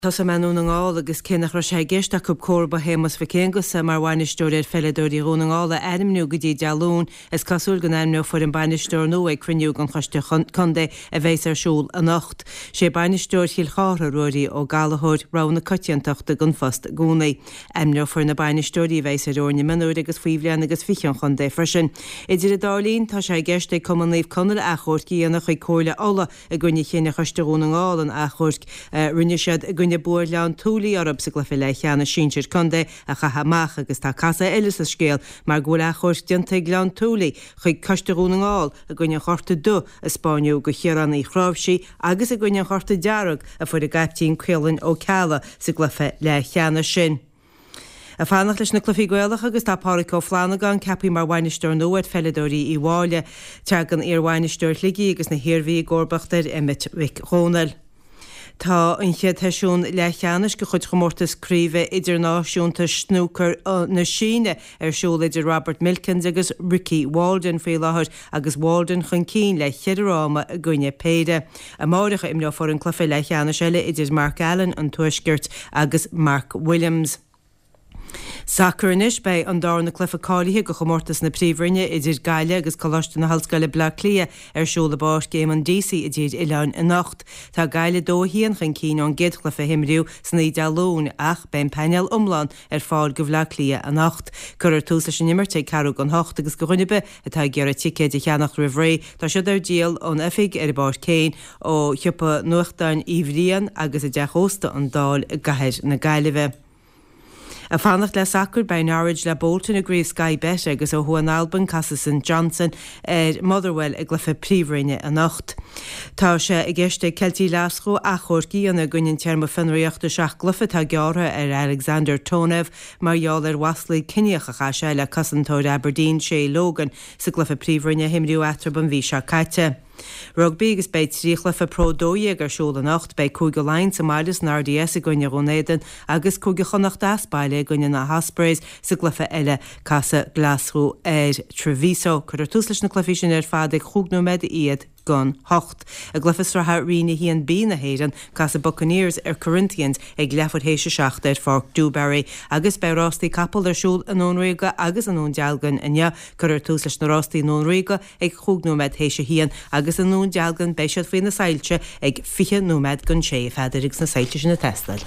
Tosóidh mé i nDún na nGall agus cé nach raibh sé i gceist acu comharba Shéamus Mhic Aonghusa mar bhainisteoir ar pheileadóirí Dhún na nGall a ainmniú go dtí Dé Luain, is cosúil go n-ainmneofar an bainisteoir nua ag cruinniú den Choiste Contae a bheas ar siúl anocht. Sé bainisteoir Chill Chártha, Ruairí Ó Gallchóir, rogha na coitiantachta don phost i gcónaí. Ainmneofar na bainisteoirí a bheas ar fhoirne mionúir agus faoi bhliain agus 20 an chontae freisin. Idir an dá linn, tá sé i gceist ag Cumann Naomh Conaill achomharc a dhéanamh chuig Comhairle Uladh i gcoinne chinneadh Choiste Dhún na nGall an achomhairc a rinne siad i gcoinne bua Ghleann tSúilí orthu sa gcluiche leathcheannais sinsir contae a chaitheamh amach agus tá casadh eile sa scéal mar go bhfuil achomharc déanta ag Gleann tSúilí chuig Coiste Dhún na nGall i gcoinne an chárta dubh a 'spáineadh do Chiarán Uí Chráimhsí agus i gcoinne an chárta dearg a fuair a gcaiptín Caolan Ó Ceallaigh sa gcluiche leathcheannais sin. Ag fanacht leis na cluichí Gaelacha agus tá Pádhraic Ó Flannagáin ceaptha mar bhainisteoir nua ar pheileadóirí Uíbh Fhailí. Tagann iarbhainisteoir Shligigh agus na hIarmhí i gcomharbacht ar Emmet Mhic Dhónaill. Tá an chéad sheisiún leathcheannais de chuid chomórtas craoibhe idirnáisiúnta snúcair na Síne ar siúl idir Robert Milkins agus Ricky Walden faoi láthair agus Walden chun cinn le cheithre fhráma i gcoinne péire. Amáireach a imreofar an cluiche leathcheannais eile idir Mark Allen an Tuaiscirt agus Mark Williams. Sacar Anois beidh an darna cluiche cáilithe do chomórtas na Príomhroinne idir Gaillimh agus Coláiste na hOllscoile Bleá Cliath ar siúl i bPáirc Éamonn Deacy i dTír Oileáin anocht. Tá Gaillimh 2-1 chun cinn ón gcéad chluiche a himríodh san oíche Dé Luain ach beidh an painéal iomlán ar fáil do Bhleá Cliath anocht. Cuirfear tús leis an imirt ag ceathrú don hocht agus do dhuine ar bith atá ag iarraidh ticéid a cheannacht roimh ré, tá siad ar díol ón oifig ar an bPáirc féin, ó shiopa nuachtáin Uí Bhriain agus i dteach ósta an Dáil i gcathair na Gaillimhe. Ag fanacht le sacar, beidh Norwich le Bolton i gcraobh Sky Bet agus ó thuaidh in Albain casfaidh St Johnstone ar Motherwell i gcluiche Príomhroinne anocht. Tá sé i gceist ag Ceiltigh Ghlaschú achomharc a dhéanamh i gcoinne an téarma fionraíochta seacht gcluiche atá gearrtha ar Alexander Tonev mar gheall ar mhaslaí ciníocha a chaith sé le cosantóir Aberdeen Shay Logan sa gcluiche Príomhroinne a himríodh eatarthu an mhí seo caite. Rugbaí agus beidh 3 chluiche Pro 12 ar siúl anocht. Beidh Cúige Laighean sa mbaile san RDS i gcoinne Dhún Éideann agus Cúige Chonnacht as baile i gcoinne na hOspreys sa gcluiche eile. Casfaidh Glaschú ar Treviso. Cuirfear tús leis na cluichí sin ar fad ag chúig nóiméad iad don hocht. I gcluiche sraithe Roinn 1B na hÉireann, casfaidh Buccaneers ar Corinthians ag leathuair théis a seacht ar Pháirc Dewsbury. Agus beidh rástaí capall ar siúl i nDún Ríoga agus i nDún Dealgan inniu. Cuirfear tús leis na rástaí i nDún Ríoga ag chúig nóiméad théis a haon agus i nDún Dealgan beidh siad faoi na soilse ag 20 nóiméad don sé, a Pheadair, agus na soilse sin ag teastáil.